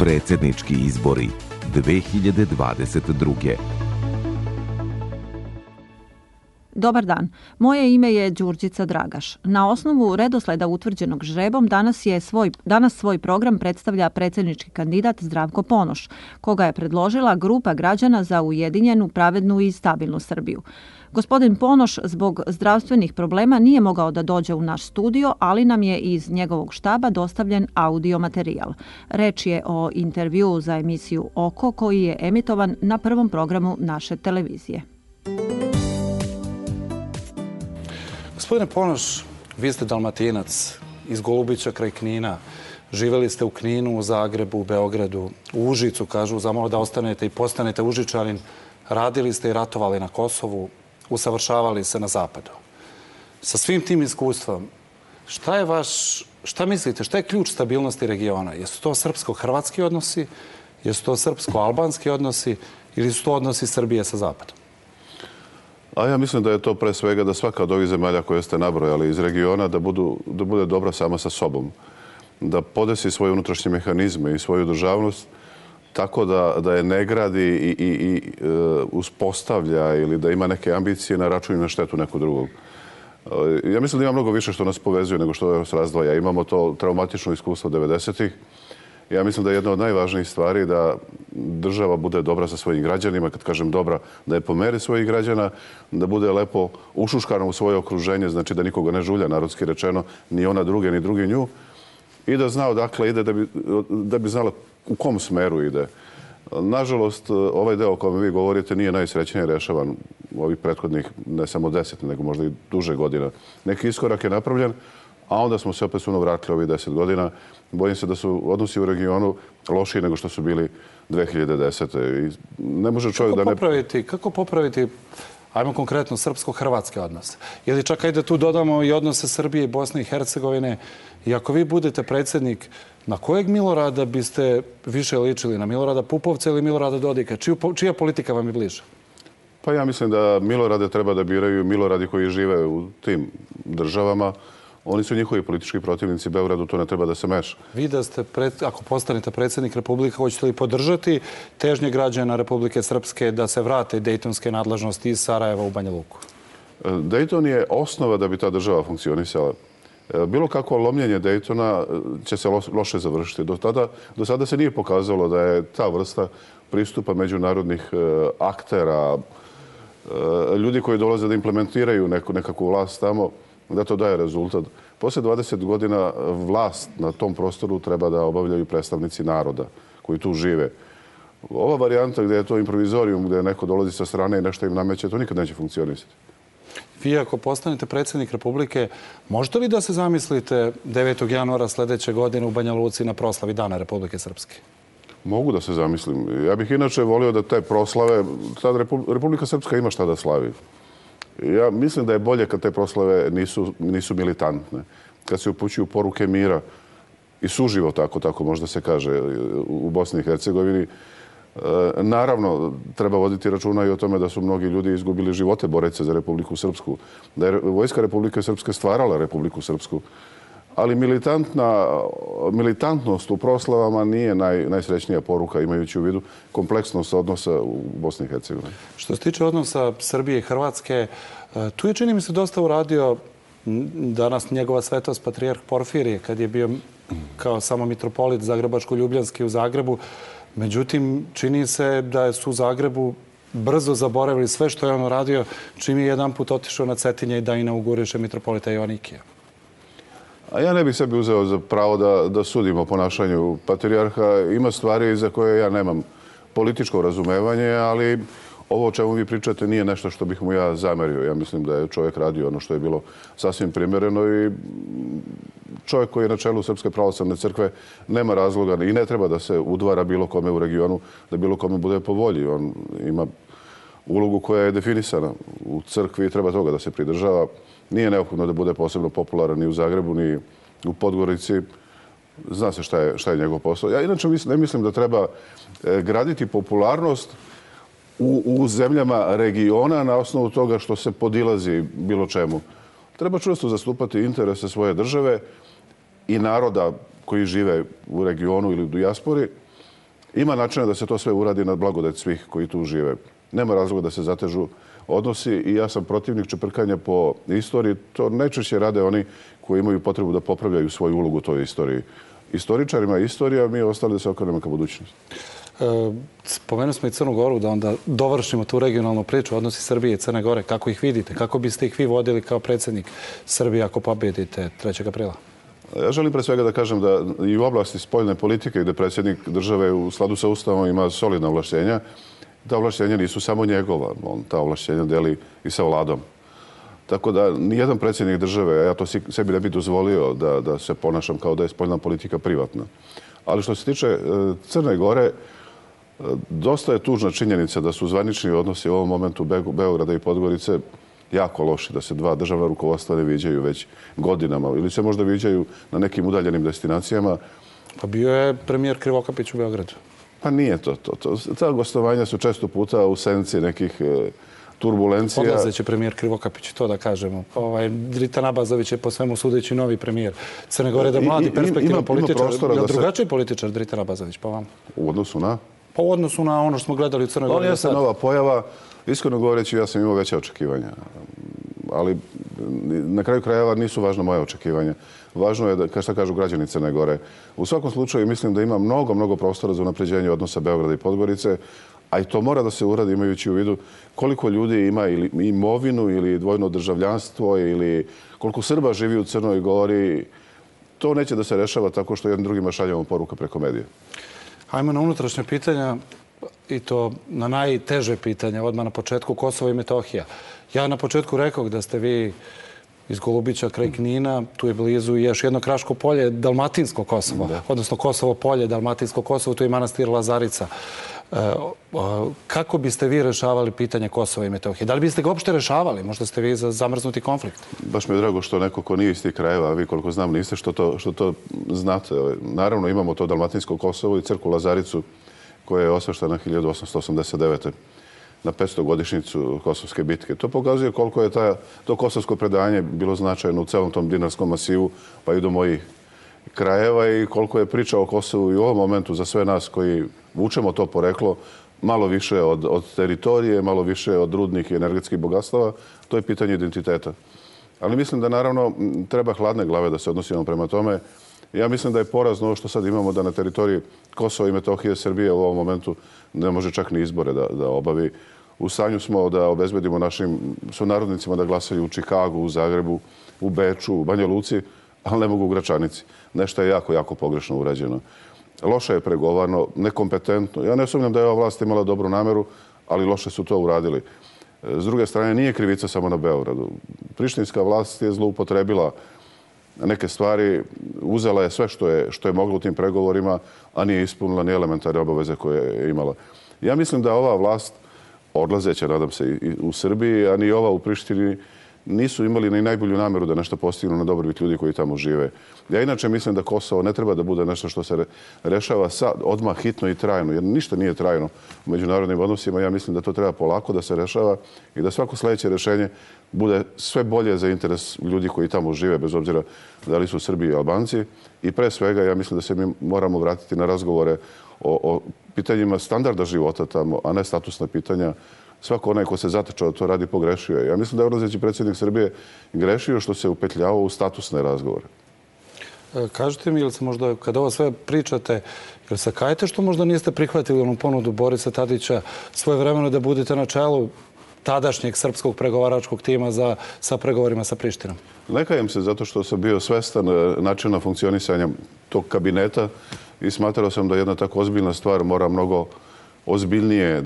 Predsjednički izbori 2022. Dobar dan. Moje ime je Đurđica Dragaš. Na osnovu redosleda utvrđenog žrebom danas svoj program predstavlja predsjednički kandidat Zdravko Ponoš, koga je predložila grupa građana za ujedinjenu, pravednu i stabilnu Srbiju. Gospodin Ponoš zbog zdravstvenih problema nije mogao da dođe u naš studio, ali nam je iz njegovog štaba dostavljen audio materijal. Reč je o intervjuu za emisiju Oko koji je emitovan na prvom programu naše televizije. Gospodine Ponoš, vi ste Dalmatinac iz Golubića kraj Knina. Živjeli ste u Kninu, u Zagrebu, u Beogradu, u Užicu, kažu, zamalo da ostanete i postanete Užičanin. Radili ste i ratovali na Kosovu, usavršavali se na Zapadu. Sa svim tim iskustvom, šta mislite, šta je ključ stabilnosti regiona? Jesu to srpsko-hrvatski odnosi, jesu to srpsko-albanski odnosi ili su to odnosi Srbije sa Zapadom? A ja mislim da je to pre svega da svaka od ovih zemalja koje ste nabrojali iz regiona da bude dobra sama sa sobom. Da podesi svoje unutrašnje mehanizme i svoju državnost tako da je ne gradi i uspostavlja ili da ima neke ambicije na račun i na štetu nekog drugog. Ja mislim da ima mnogo više što nas povezuje nego što nas razdvaja. Imamo to traumatično iskustvo 90-ih. Ja mislim da je jedna od najvažnijih stvari da država bude dobra sa svojim građanima. Kad kažem dobra, da je po meri svojih građana, da bude lepo ušuškana u svoje okruženje, znači da nikoga ne žulja, narodski rečeno, ni ona druge, ni drugi nju. I da zna odakle ide, da bi znala u kom smeru ide. Nažalost, ovaj deo o kojem vi govorite nije najsrećnije rešavan u ovih prethodnih, ne samo 10, nego možda i duže godina. Neki iskorak je napravljen, a onda smo se opet suno vratili ovih 10 godina. Bojim se da su odnosi u regionu lošiji nego što su bili 2010. I ne može čovjek Kako popraviti, ajmo konkretno, srpsko-hrvatske odnose? Ili čak ajde tu dodamo i odnose Srbije i Bosne i Hercegovine. I ako vi budete predsjednik, na kojeg Milorada biste više ličili? Na Milorada Pupovca ili Milorada Dodika? Čija politika vam je bliža? Pa ja mislim da Milorade treba da biraju Miloradi koji žive u tim državama. Oni su njihovi politički protivnici. Beogradu to ne treba da se meša. Vi da ste, ako postanete predsjednik Republike, hoćete li podržati težnje građana Republike Srpske da se vrate dejtonske nadležnosti iz Sarajeva u Banja Luku? Dejton je osnova da bi ta država funkcionisala. Bilo kakvo lomljenje Dejtona će se loše završiti. Do sada se nije pokazalo da je ta vrsta pristupa međunarodnih aktera, ljudi koji dolaze da implementiraju nekakvu vlast tamo, da to daje rezultat. Posle 20 godina vlast na tom prostoru treba da obavljaju predstavnici naroda koji tu žive. Ova varijanta gdje je to improvizorijum, gdje neko dolazi sa strane i nešto im nameće, to nikad neće funkcionisati. Vi ako postanete predsjednik Republike, možete li da se zamislite 9. januara sljedeće godine u Banja Luci na proslavi Dana Republike Srpske? Mogu da se zamislim. Ja bih inače volio da te proslave, sad Republika Srpska ima šta da slavi. Ja mislim da je bolje kad te proslave nisu militantne. Kad se upućuju poruke mira i suživota, ako tako možda se kaže, u Bosni i Hercegovini. Naravno, treba voditi računa i o tome da su mnogi ljudi izgubili živote boreći se za Republiku Srpsku. Da je Vojska Republike Srpske stvarala Republiku Srpsku. Ali militantnost u proslavama nije najsrećnija poruka, imajući u vidu kompleksnost odnosa u Bosni i Hercegovini. Što se tiče odnosa Srbije i Hrvatske, tu je, čini mi se, dosta uradio danas njegova svetost patrijarh Porfirije, kad je bio kao samo mitropolit Zagrebačko-Ljubljanski u Zagrebu. Međutim, čini se da su u Zagrebu brzo zaboravili sve što je on uradio, čim je jedan put otišao na Cetinje i da inauguriše mitropolita Joanikija. A ja ne bih sebi uzeo za pravo da sudim o ponašanju patrijarha. Ima stvari za koje ja nemam političko razumevanje, ali ovo o čemu vi pričate nije nešto što bih mu ja zamerio. Ja mislim da je čovjek radio ono što je bilo sasvim primjereno i čovjek koji je na čelu Srpske pravoslavne crkve nema razloga i ne treba da se udvara bilo kome u regionu, da bilo kome bude po volji. On ima ulogu koja je definisana u crkvi i treba toga da se pridržava. Nije neophodno da bude posebno popularan ni u Zagrebu, ni u Podgorici. Zna se šta je njegov posao. Ja inače ne mislim da treba graditi popularnost u zemljama regiona na osnovu toga što se podilazi bilo čemu. Treba čvrsto zastupati interese svoje države i naroda koji žive u regionu ili u dijaspori Ima načina da se to sve uradi na blagodet svih koji tu žive. Nema razloga da se zatežu odnosi i ja sam protivnik čeprkanja po istoriji. To najčešće rade oni koji imaju potrebu da popravljaju svoju ulogu u toj istoriji. Istoričarima je istorija, mi ostali da se okrenemo ka budućnosti. Spomenuli smo i Crnu Goru, da onda dovršimo tu regionalnu priču, odnosi Srbije i Crne Gore. Kako ih vidite? Kako biste ih vi vodili kao predsjednik Srbije ako pobjedite 3. aprila? Ja želim pre svega da kažem da i u oblasti spoljne politike gde predsjednik države u skladu sa Ustavom ima solidna ovlašćenja, ta ovlašćenja nisu samo njegova, on ta ovlašćenja deli i sa vladom. Tako da nijedan predsjednik države, a ja to sebi ne bih dozvolio da se ponašam kao da je spoljna politika privatna. Ali što se tiče Crne Gore, dosta je tužna činjenica da su zvanični odnosi u ovom momentu Beograda i Podgorice jako loši, da se dva državna rukovodstva ne viđaju već godinama ili se možda viđaju na nekim udaljenim destinacijama. Pa bio je premijer Krivokapić u Beogradu. Pa nije to. Ta gostovanja su često puta u senci nekih turbulencija. Odlazeći premijer Krivokapić, to da kažemo. Dritan Abazović je po svemu sudeći novi premijer Crne Gore, da mladi perspektivan političar. Je drugačiji političar Dritan Abazović, po vam? U odnosu na? Pa u odnosu na ono što smo gledali u Crnoj Gori. On jeste nova pojava. Iskreno govoreći, ja sam imao veće očekivanja. Ali na kraju krajeva nisu važno moje očekivanja. Važno je da, šta kažu građani Crne Gore. U svakom slučaju mislim da ima mnogo prostora za unapređenje odnosa Beograda i Podgorice, a i to mora da se uradi imajući u vidu koliko ljudi ima ili imovinu ili dvojno državljanstvo ili koliko Srba živi u Crnoj Gori. To neće da se rešava tako što jednim drugima šaljamo poruka preko medija. Hajmo na unutrašnje pitanja i to na najteže pitanja, odmah na početku Kosovo i Metohija. Ja na početku rekao da ste vi iz Golubića kraj Knina, tu je blizu još jedno Kraško polje, Dalmatinsko Kosovo, odnosno Kosovo polje, Dalmatinsko Kosovo, tu je manastir Lazarica. Kako biste vi rešavali pitanje Kosova i Metohije? Da li biste ga uopšte rešavali? Možda ste vi za zamrznuti konflikt? Baš mi je drago što neko ko nije iz tih krajeva, a vi koliko znam niste, što to znate. Naravno imamo to Dalmatinsko Kosovo i crkvu Lazaricu koja je osveštena 1889. na 500-godišnjicu Kosovske bitke. To pokazuje koliko je to kosovsko predanje bilo značajno u celom tom dinarskom masivu, pa i do mojih krajeva i koliko je priča o Kosovu i u ovom momentu za sve nas koji vučemo to poreklo malo više od teritorije, malo više od rudnih i energetskih bogatstava, to je pitanje identiteta. Ali mislim da naravno treba hladne glave da se odnosimo prema tome. Ja mislim da je porazno ovo što sad imamo da na teritoriji Kosova i Metohije Srbije u ovom momentu ne može čak ni izbore da obavi. U stanju smo da obezbedimo našim sunarodnicima da glasaju u Čikagu, u Zagrebu, u Beču, u Banja Luci, ali ne mogu u Gračanici. Nešto je jako pogrešno urađeno. Loše je pregovarno, nekompetentno. Ja ne sumnjam da je ova vlast imala dobru nameru, ali loše su to uradili. S druge strane, nije krivica samo na Beogradu. Prištinska vlast je zloupotrebila neke stvari, uzela je sve što je mogla u tim pregovorima, a nije ispunila ni elementarne obaveze koje je imala. Ja mislim da ova vlast, odlazeća, nadam se, i u Srbiji, a ni ova u Prištini, nisu imali ni najbolju nameru da nešto postignu na dobrobit ljudi koji tamo žive. Ja inače mislim da Kosovo ne treba da bude nešto što se rešava sad, odmah hitno i trajno, jer ništa nije trajno u međunarodnim odnosima. Ja mislim da to treba polako da se rešava i da svako sledeće rešenje bude sve bolje za interes ljudi koji tamo žive, bez obzira da li su Srbi i Albanci. I pre svega, ja mislim da se mi moramo vratiti na razgovore o pitanjima standarda života tamo, a ne statusna pitanja. Svako onaj ko se zatečao to radi pogrešio. Ja mislim da je odlazeći predsjednik Srbije grešio što se upetljavao u statusne razgovore. Kažete mi, ili se možda, kada ovo sve pričate, ili se kajete što možda niste prihvatili onu ponudu Borisa Tadića svojevremeno da budete na čelu tadašnjeg srpskog pregovaračkog tima sa pregovorima sa Prištinom? Ne kajem se zato što sam bio svestan načina funkcionisanja tog kabineta i smatrao sam da jedna tako ozbiljna stvar mora mnogo ozbiljnije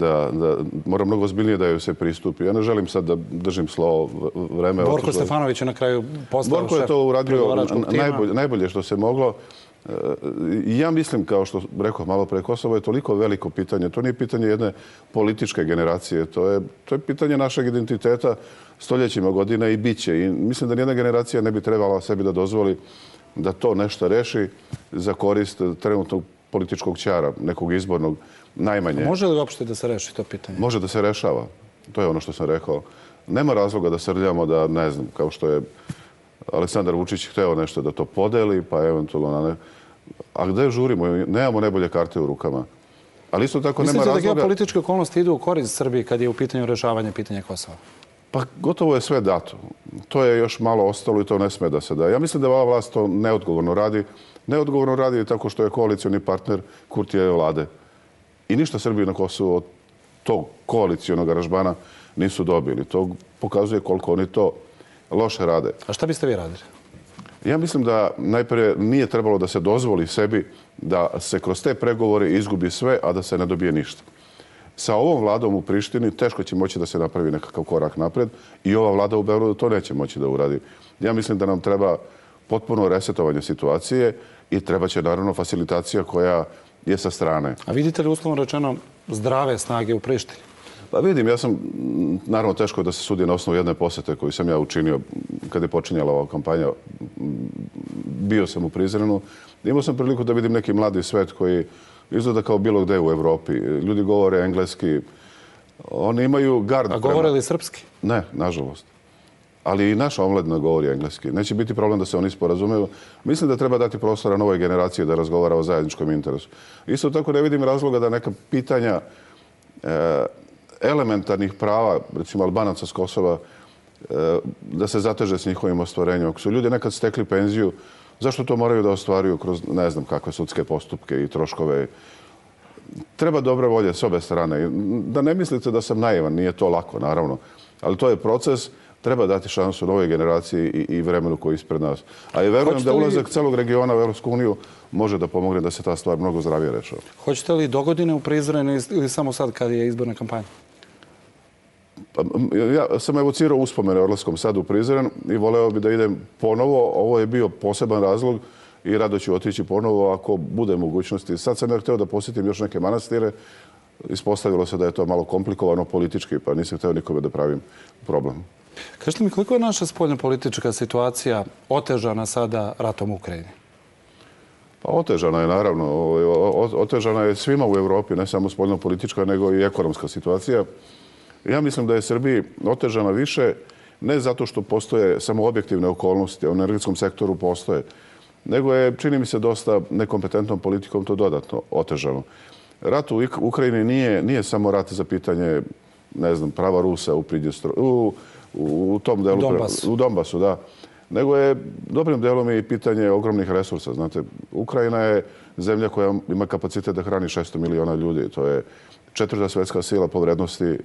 da joj se pristupi. Ja ne želim sad da držim slovo vreme. Borko Stefanović je na kraju postao Borko je to uradio najbolje što se moglo. Ja mislim, kao što rekao malo pre, Kosovo je toliko veliko pitanje. To nije pitanje jedne političke generacije. To je pitanje našeg identiteta stoljećima godina i bit će. I mislim da nijedna generacija ne bi trebala sebi da dozvoli da to nešto reši za korist trenutnog političkog ćara, nekog izbornog, najmanje. Može li uopšte da se reši to pitanje? Može da se rešava. To je ono što sam rekao. Nema razloga da srljamo da, ne znam, kao što je Aleksandar Vučić hteo nešto da to podeli, pa eventualno... A gde žurimo? Nemamo najbolje karte u rukama. Ali isto tako nema razloga... razloga... da geopolitičke okolnosti idu u korist Srbiji kad je u pitanju rešavanje pitanja Kosova? Pa gotovo je sve dato. To je još malo ostalo i to ne sme da se da. Ja mislim da ova vlast to neodgovorno radi. Neodgovorno radi tako što je koalicioni partner Kurtijeve vlade. I ništa Srbiji na Kosovu od tog koalicijonog aranžmana nisu dobili. To pokazuje koliko oni to loše rade. A šta biste vi radili? Ja mislim da najprije nije trebalo da se dozvoli sebi da se kroz te pregovore izgubi sve, a da se ne dobije ništa. Sa ovom vladom u Prištini teško će moći da se napravi nekakav korak napred i ova vlada u Beogradu to neće moći da uradi. Ja mislim da nam treba potpuno resetovanje situacije i treba će naravno facilitacija koja je sa strane. A vidite li uslovno rečeno zdrave snage u Prištini? Pa vidim, ja sam, naravno teško da se sudi na osnovu jedne posete koju sam ja učinio kada je počinjala ova kampanja. Bio sam u Prizrenu. Imao sam priliku da vidim neki mladi svet koji izgleda kao bilo gde u Evropi. Ljudi govore engleski. Oni imaju gard. A govore li srpski? Ne, nažalost. Ali i naša omladina govori engleski. Neće biti problem da se oni sporazumeju. Mislim da treba dati prostora novoj generaciji da razgovara o zajedničkom interesu. Isto tako ne vidim razloga da neka pitanja elementarnih prava, recimo Albanaca s Kosova, da se zateže s njihovim ostvarenjem. Ako su ljudi nekad stekli penziju, zašto to moraju da ostvaruju kroz ne znam kakve sudske postupke i troškove? Treba dobre volje s obe strane. Da ne mislite da sam naivan, nije to lako, naravno. Ali to je proces, treba dati šansu novoj generaciji i vremenu koji je ispred nas. A i verujem da ulazak celog regiona u Evropsku uniju može da pomogne da se ta stvar mnogo zdravije rešava. Hoćete li dogodine u Prizrenu ili samo sad kad je izborna kampanja? Ja sam evocirao uspomene o odlaskom sad u Prizren i voleo bi da idem ponovo. Ovo je bio poseban razlog i rado ću otići ponovo ako bude mogućnosti. Sad sam ja hteo da posjetim još neke manastire. Ispostavilo se da je to malo komplikovano politički, pa nisam hteo nikome da pravim problem. Kažete mi, koliko je naša spoljnopolitička situacija otežana sada ratom u Ukrajini? Pa otežana je, naravno. Otežana je svima u Evropi, ne samo spoljnopolitička, nego i ekonomska situacija. Ja mislim da je Srbiji otežana više, ne zato što postoje samo objektivne okolnosti, u energetskom sektoru postoje, nego je, čini mi se, dosta nekompetentnom politikom to dodatno otežano. Rat u Ukrajini nije samo rat za pitanje, ne znam, prava Rusa u tom delu, u Donbasu, da. Nego je dobrim delom i pitanje ogromnih resursa. Znate, Ukrajina je zemlja koja ima kapacitet da hrani 600 miliona ljudi. To je 4. svetska sila po vrednosti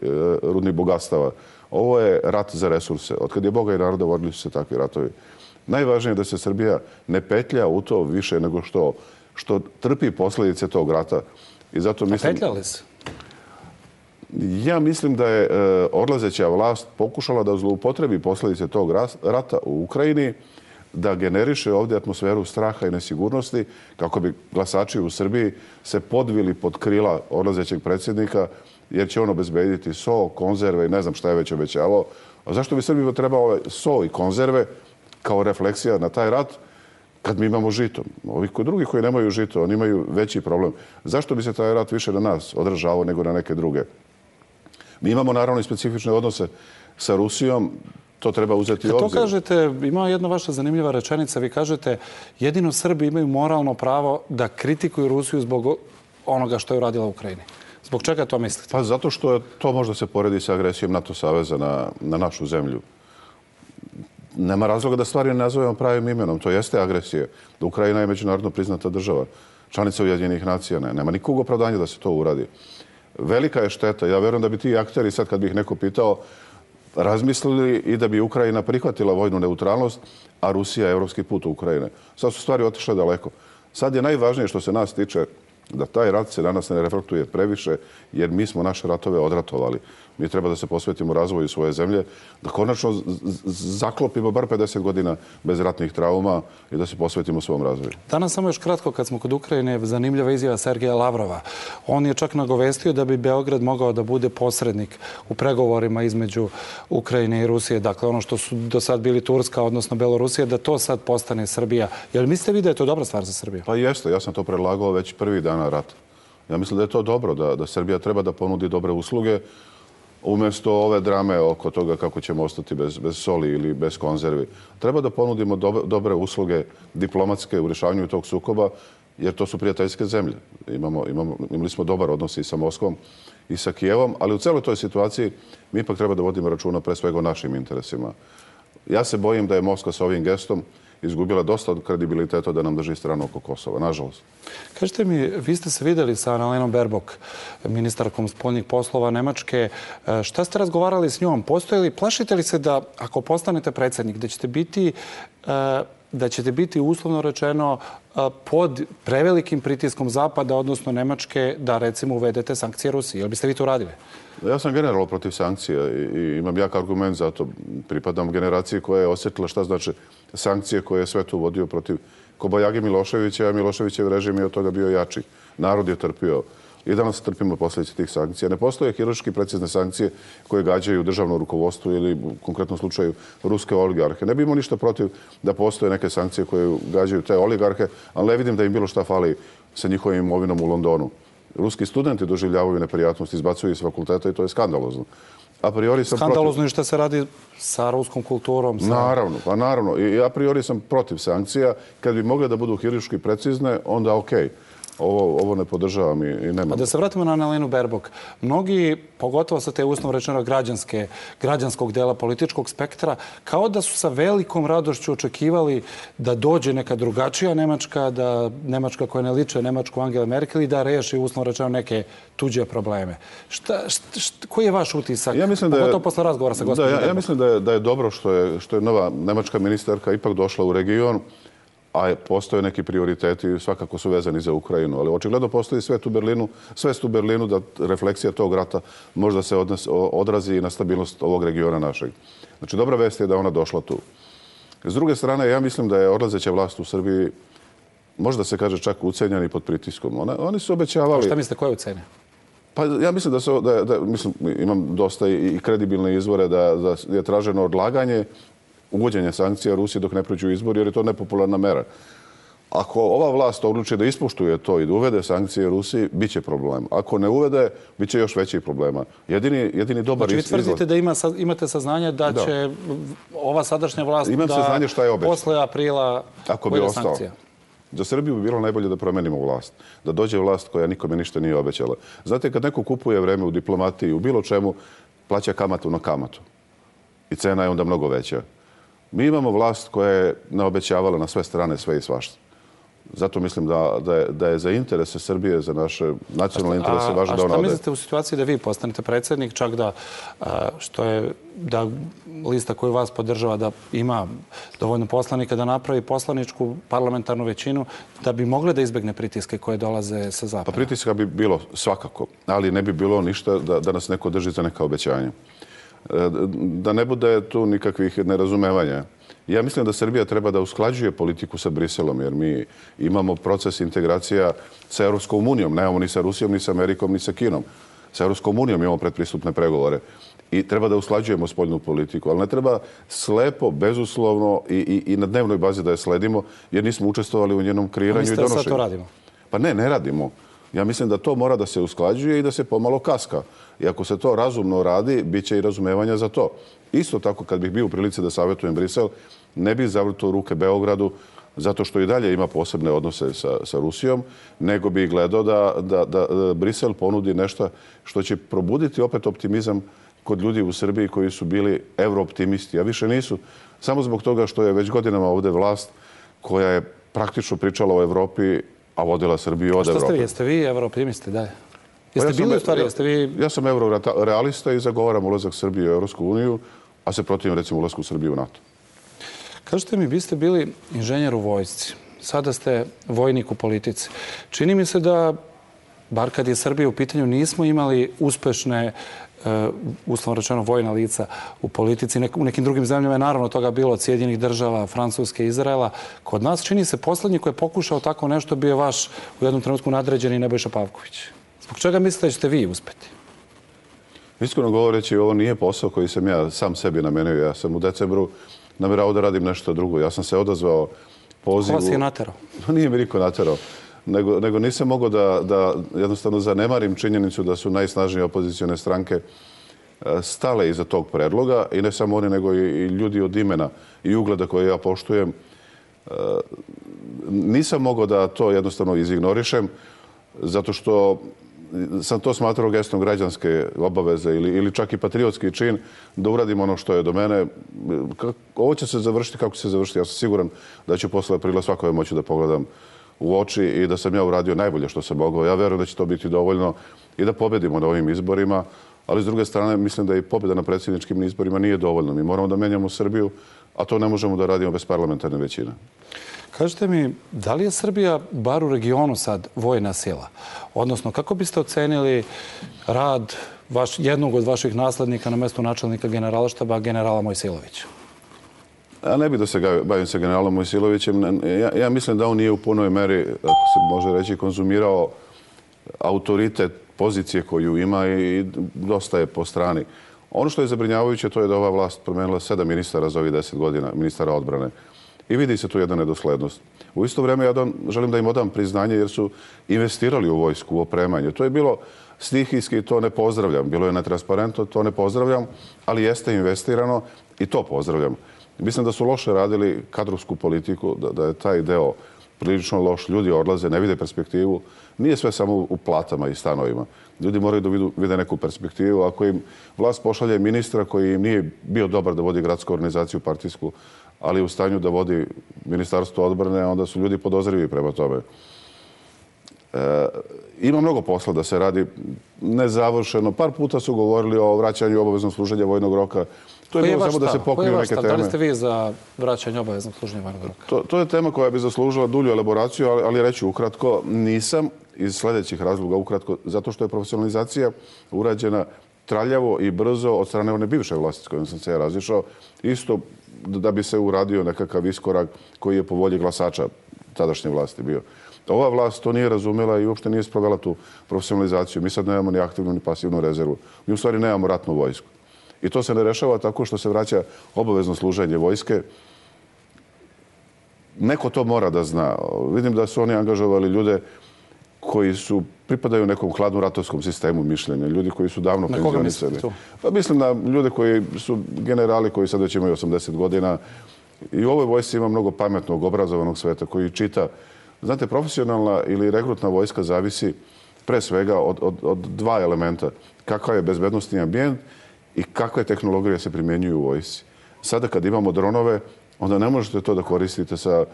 rudnih bogatstava. Ovo je rat za resurse. Od kad je Boga i naroda vodili su se takvi ratovi. Najvažnije je da se Srbija ne petlja u to više nego što trpi posljedice tog rata. I zato mislim... A petljali se? Ja mislim da je odlazeća vlast pokušala da zloupotrebi posljedice tog rata u Ukrajini, da generiše ovdje atmosferu straha i nesigurnosti, kako bi glasači u Srbiji se podvili pod krila odlazećeg predsjednika, jer će on obezbediti so, konzerve i ne znam šta je već obećavao. A zašto bi Srbima trebalo so i konzerve kao refleksija na taj rat kad mi imamo žito? Ovi drugi koji nemaju žito, oni imaju veći problem. Zašto bi se taj rat više na nas odražavao nego na neke druge? Mi imamo naravno i specifične odnose sa Rusijom, to treba uzeti u obzir. To kažete, ima jedna vaša zanimljiva rečenica, vi kažete jedino Srbi imaju moralno pravo da kritikuju Rusiju zbog onoga što je uradila u Ukrajini. Zbog čega to mislite? Pa zato što to možda se poredi sa agresijom NATO saveza na našu zemlju. Nema razloga da stvari ne nazovemo pravim imenom. To jeste agresija. Da Ukrajina je međunarodno priznata država. Članica Ujedinjenih nacija. Nema nikog opravdanja da se to uradi. Velika je šteta. Ja verujem da bi ti akteri, sad kad bih neko pitao, razmislili i da bi Ukrajina prihvatila vojnu neutralnost, a Rusija evropski put u Ukrajine. Sad su stvari otišle daleko. Sad je najvažnije što se nas tiče da taj rat se danas ne reflektuje previše, jer mi smo naše ratove odratovali. Mi treba da se posvetimo razvoju svoje zemlje, da konačno zaklopimo bar 50 godina bez ratnih trauma i da se posvetimo svom razvoju. Danas samo još kratko, kad smo kod Ukrajine, zanimljiva izjava Sergeja Lavrova. On je čak nagovestio da bi Beograd mogao da bude posrednik u pregovorima između Ukrajine i Rusije. Dakle, ono što su do sad bili Turska, odnosno Belorusija, da to sad postane Srbija. Jel mislite vi da je to dobra stvar za Srbiju? Pa jeste, ja sam to predlagao već prvi dana rata. Ja mislim da je to dobro, da Srbija treba da ponudi dobre usluge umjesto ove drame oko toga kako ćemo ostati bez soli ili bez konzervi. Treba da ponudimo dobre usluge diplomatske u rješavanju tog sukoba jer to su prijateljske zemlje. Imali smo dobar odnos i sa Moskvom i sa Kijevom, ali u celoj toj situaciji mi ipak treba da vodimo računa pre svega o našim interesima. Ja se bojim da je Moskva sa ovim gestom izgubila dosta od kredibiliteta da nam drži stranu oko Kosova, nažalost. Kažite mi, vi ste se videli sa Annalenom Baerbock, ministarkom spoljnih poslova Nemačke. Šta ste razgovarali s njom? Plašite li se da ako postanete predsjednik, da ćete biti uslovno rečeno pod prevelikim pritiskom Zapada, odnosno Nemačke, da recimo uvedete sankcije Rusiji? Jel biste vi to radili? Ja sam generalno protiv sankcija i imam jak argument za to. Pripadam generaciji koja je osjetila šta znači sankcije koje je svet uvodio protiv Kobajage Miloševića, a Miloševićev režim je od toga bio jači. Narod je trpio. I danas trpimo posljedice tih sankcija. Ne postoje hirurški precizne sankcije koje gađaju državno rukovodstvo ili u konkretnom slučaju ruske oligarhe. Ne bi imao ništa protiv da postoje neke sankcije koje gađaju te oligarhe, ali ne vidim da im bilo šta fali sa njihovim imovinom u Londonu. Ruski studenti doživljavaju neprijatnost, izbacuju iz fakulteta i to je skandalozno. Skandalozno i što se radi sa ruskom kulturom? Naravno. I a priori sam protiv sankcija. Kad bi mogle da budu hirurški precizne, onda okej. Ovo ne podržavam i nema. A da se vratimo na Annalenu Baerbock. Mnogi, pogotovo sa te uslovno rečeno građanskog dela političkog spektra, kao da su sa velikom radošću očekivali da dođe neka drugačija Nemačka, da Nemačka koja ne liče Nemačku Angele Merkel i da reši uslovno rečeno neke tuđe probleme. Koji je vaš utisak? Pogotovo posle razgovora sa gospođom Baerbock. Ja mislim da je dobro što je nova nemačka ministarka ipak došla u region, a postoje neki prioriteti, svakako su vezani za Ukrajinu, ali očigledno postoji svest u Berlinu da refleksija tog rata možda se odrazi i na stabilnost ovog regiona našeg. Znači, dobra vest je da ona došla tu. S druge strane, ja mislim da je odlazeća vlast u Srbiji, možda se kaže čak ucenjeni pod pritiskom. Oni su obećavali... Šta mislite, koje ucenje? Pa ja mislim imam dosta i kredibilne izvore da je traženo odlaganje uvođenje sankcija Rusiji dok ne prođu izbori, jer je to nepopularna mera. Ako ova vlast odluči da ispoštuje to i da uvede sankcije Rusiji, bit će problem. Ako ne uvede, bit će još većih problema. Jedini dobar izgled... Znači, vi tvrdite da imate saznanje da će ova sadašnja vlast da posle aprila uvede sankcija? Za Srbiju bi bilo najbolje da promenimo vlast. Da dođe vlast koja nikome ništa nije obećala. Znate, kad neko kupuje vreme u diplomatiji, u bilo čemu, plaća kamatu na kamatu. I cena je onda mnogo veća. Mi imamo vlast koja je naobećavala na sve strane sve i svašta. Zato mislim da je za interese Srbije, za naše nacionalne interese važno da ona ode. A šta mislite u situaciji da vi postanete predsjednik, čak da lista koju vas podržava da ima dovoljno poslanika da napravi poslaničku parlamentarnu većinu, da bi mogle da izbegne pritiske koje dolaze sa zapada? Pa pritiska bi bilo svakako, ali ne bi bilo ništa da nas neko drži za neka obećanja. Da ne bude tu nikakvih nerazumevanja. Ja mislim da Srbija treba da usklađuje politiku sa Briselom, jer mi imamo proces integracija sa Europskom unijom. Nemamo ni sa Rusijom, ni sa Amerikom, ni sa Kinom. Sa Europskom unijom imamo predpristupne pregovore. I treba da usklađujemo spoljnu politiku, ali ne treba slepo, bezuslovno i na dnevnoj bazi da je sledimo, jer nismo učestvovali u njenom kreiranju i donošenju. Sad to radimo? Pa ne radimo. Ja mislim da to mora da se usklađuje i da se pomalo kaska. I ako se to razumno radi, bit će i razumevanja za to. Isto tako, kad bih bio u prilici da savjetujem Brisel, ne bih zavrtao ruke Beogradu, zato što i dalje ima posebne odnose sa Rusijom, nego bih gledao da Brisel ponudi nešto što će probuditi opet optimizam kod ljudi u Srbiji koji su bili eurooptimisti, a više nisu. Samo zbog toga što je već godinama ovde vlast koja je praktično pričala o Evropi, a vodila Srbiju od Evrope. Šta ste vi? Jeste vi eurooptimisti? Da. Jeste bili u stvari? Ja sam eurorealista i zagovaram ulazak Srbije u Evropsku uniju, a se protivim recimo ulazku Srbije u NATO. Kažete mi, vi ste bili inženjer u vojsci. Sada ste vojnik u politici. Čini mi se da, bar kad je Srbija u pitanju, nismo imali uspešne, uslovno rečeno, vojna lica u politici. U nekim drugim zemljama je naravno toga bilo od Sjedinjenih država, Francuske, Izraela. Kod nas čini se poslednji koji je pokušao tako nešto bio vaš u jednom trenutku nadređeni Nebojša Pavković. Zbog čega mislite da ćete vi uspeti? Iskreno govoreći, ovo nije posao koji sam ja sam sebi namenio. Ja sam u decembru namerao da radim nešto drugo. Ja sam se odazvao pozivu... Ko vas je naterao? Nije mi niko naterao. Nego nisam mogao da jednostavno zanemarim činjenicu da su najsnažnije opozicione stranke stale iza tog predloga i ne samo oni, nego i ljudi od imena i ugleda koje ja poštujem Nisam mogao da to jednostavno izignorišem, zato što sam to smatrao gestom građanske obaveze ili čak i patriotski čin da uradim ono što je do mene. Ovo će se završiti kako će se završiti. Ja sam siguran da ću posle aprila svakome moći da pogledam u oči i da sam ja uradio najbolje što sam mogao. Ja verujem da će to biti dovoljno i da pobedimo na ovim izborima, ali s druge strane mislim da i pobjeda na predsjedničkim izborima nije dovoljno. Mi moramo da menjamo Srbiju, a to ne možemo da radimo bez parlamentarne većine. Kažite mi, da li je Srbija, bar u regionu sad, vojna sila? Odnosno, kako biste ocenili rad jednog od vaših naslednika na mestu načelnika generalštaba, generala Mojsilovića? Ja ne bih da se bavim sa generalom Mojsilovićem. Ja mislim da on nije u punoj meri, ako se može reći, konzumirao autoritet pozicije koju ima i dosta je po strani. Ono što je zabrinjavajuće to je da ova vlast promenila 7 ministara za ovih 10 godina, ministara odbrane. I vidi se tu jedna nedoslednost. U isto vrijeme ja želim da im odam priznanje jer su investirali u vojsku, u opremanje. To je bilo stihijski, to ne pozdravljam. Bilo je netransparentno, to ne pozdravljam, ali jeste investirano i to pozdravljam. Mislim da su loše radili kadrovsku politiku, da je taj deo prilično loš. Ljudi odlaze, ne vide perspektivu. Nije sve samo u platama i stanovima. Ljudi moraju da vide neku perspektivu. Ako im vlast pošalje ministra koji im nije bio dobar da vodi gradsku organizaciju partijsku, ali u stanju da vodi ministarstvo odbrane, onda su ljudi podozrivi prema tome. Ima mnogo posla da se radi nezavršeno. Par puta su govorili o vraćanju obaveznog služenja vojnog roka. To je bilo samo da se pokriju neke teme. Da li ste vi za vraćanje obaveznog služenja vojnog roka? To je tema koja bi zaslužila dulju elaboraciju, ali reću ukratko, nisam iz sljedećih razloga ukratko, zato što je profesionalizacija urađena traljavo i brzo od strane one bivše vlasti s kojom sam se ja razišao, isto da bi se uradio nekakav iskorak koji je po volji glasača tadašnje vlasti bio. Ova vlast to nije razumela i uopšte nije sprovela tu profesionalizaciju. Mi sad nemamo ni aktivnu ni pasivnu rezervu. Mi u stvari nemamo ratnu vojsku. I to se ne rešava tako što se vraća obavezno služenje vojske. Neko to mora da zna. Vidim da su oni angažovali ljude koji pripadaju nekom hladnom ratovskom sistemu mišljenja. Ljudi koji su davno penzionisali. Pa mislim na ljude koji su generali koji sad već imaju 80 godina. I u ovoj vojsci ima mnogo pametnog, obrazovanog sveta koji čita. Znate, profesionalna ili rekrutna vojska zavisi pre svega od dva elementa. Kakav je bezbednostni ambijent i kakve tehnologije se primjenjuju u vojsci. Sada kad imamo dronove, onda ne možete to da koristite sa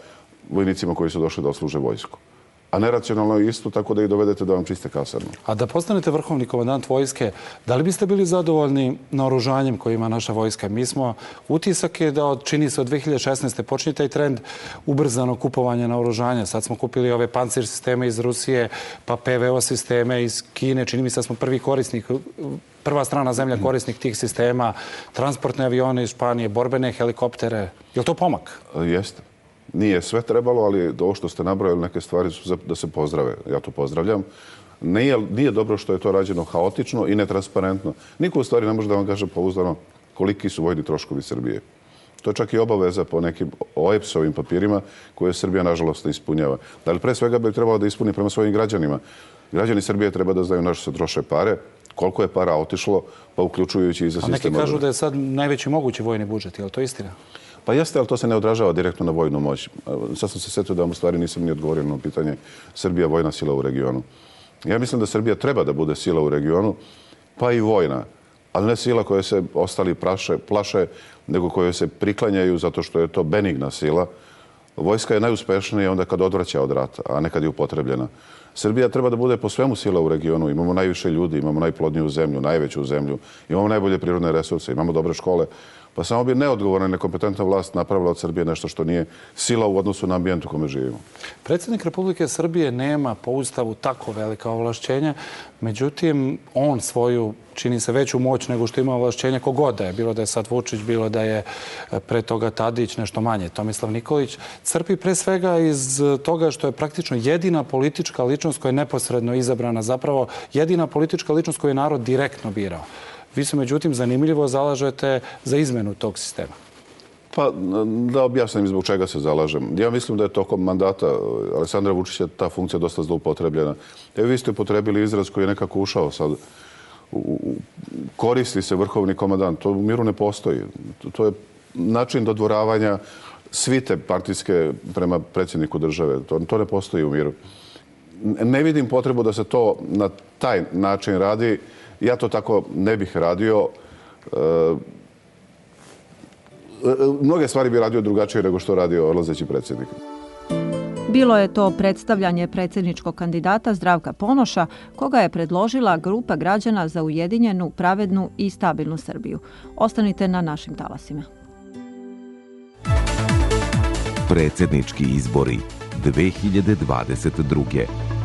vojnicima koji su došli da odsluže vojsku. A neracionalno je isto tako da ih dovedete da vam čiste kasarnu. A da postanete vrhovni komandant vojske, da li biste bili zadovoljni naoružanjem koje ima naša vojska? Mi smo, utisak je da čini se od 2016. počne taj trend ubrzano kupovanja naoružanja. Sad smo kupili ove pancir sisteme iz Rusije, pa PVO sisteme iz Kine. Čini mi se da smo prvi korisnik, prva strana zemlja korisnik tih sistema, transportne avione iz Španije, borbene helikoptere. Je li to pomak? Jeste. Nije sve trebalo, ali ovo što ste nabrojali, neke stvari su da se pozdrave. Ja to pozdravljam. Nije dobro što je to rađeno haotično i netransparentno. Niko u stvari ne može da vam kaže pouzdano koliki su vojni troškovi Srbije. To je čak i obaveza po nekim OEPS-ovim papirima koje Srbija, nažalost, ne ispunjava. Da li pre svega bi trebalo da ispuni prema svojim građanima? Građani Srbije treba da znaju na što se troše pare, koliko je para otišlo, pa uključujući i za sistem. A neki kažu da je sad najveći mogući vojni budžet. Je li to istina? Pa jeste, ali to se ne odražava direktno na vojnu moć. Sad sam se setio da vam u stvari nisam ni odgovorio na pitanje Srbija vojna sila u regionu. Ja mislim da Srbija treba da bude sila u regionu, pa i vojna, ali ne sila koje se ostali plaše, nego koje se priklanjaju zato što je to benigna sila. Vojska je najuspešnija onda kad odvraća od rata, a ne kad je upotrebljena. Srbija treba da bude po svemu sila u regionu. Imamo najviše ljudi, imamo najplodniju zemlju, najveću zemlju, imamo najbolje prirodne resurse, imamo dobre škole. Pa samo bi neodgovorna i nekompetentna vlast napravila od Srbije nešto što nije sila u odnosu na ambijent u kome živimo. Predsjednik Republike Srbije nema po Ustavu tako velika ovlašćenja, međutim, on svoju, čini se, veću moć nego što ima ovlašćenja kogod da je. Bilo da je sad Vučić, bilo da je pre toga Tadić, nešto manje, Tomislav Nikolić. Crpi pre svega iz toga što je praktično jedina politička ličnost koja je neposredno izabrana, zapravo jedina politička ličnost koju je narod direktno birao. Vi se, međutim, zanimljivo zalažete za izmenu tog sistema. Pa, da objasnim zbog čega se zalažem. Ja mislim da je tokom mandata Aleksandra Vučića ta funkcija dosta zloupotrebljena. Vi ste upotrebili izraz koji je nekako ušao sad. Koristi se vrhovni komandant. To u miru ne postoji. To je način dodvoravanja svite partijske prema predsjedniku države. To ne postoji u miru. Ne vidim potrebu da se to na taj način radi. Ja to tako ne bih radio. Mnoge stvari bi radio drugačije nego što radio odlazeći predsjednik. Bilo je to predstavljanje predsjedničkog kandidata Zdravka Ponoša, koga je predložila grupa građana za ujedinjenu, pravednu i stabilnu Srbiju. Ostanite na našim talasima. Predsjednički izbori 2022.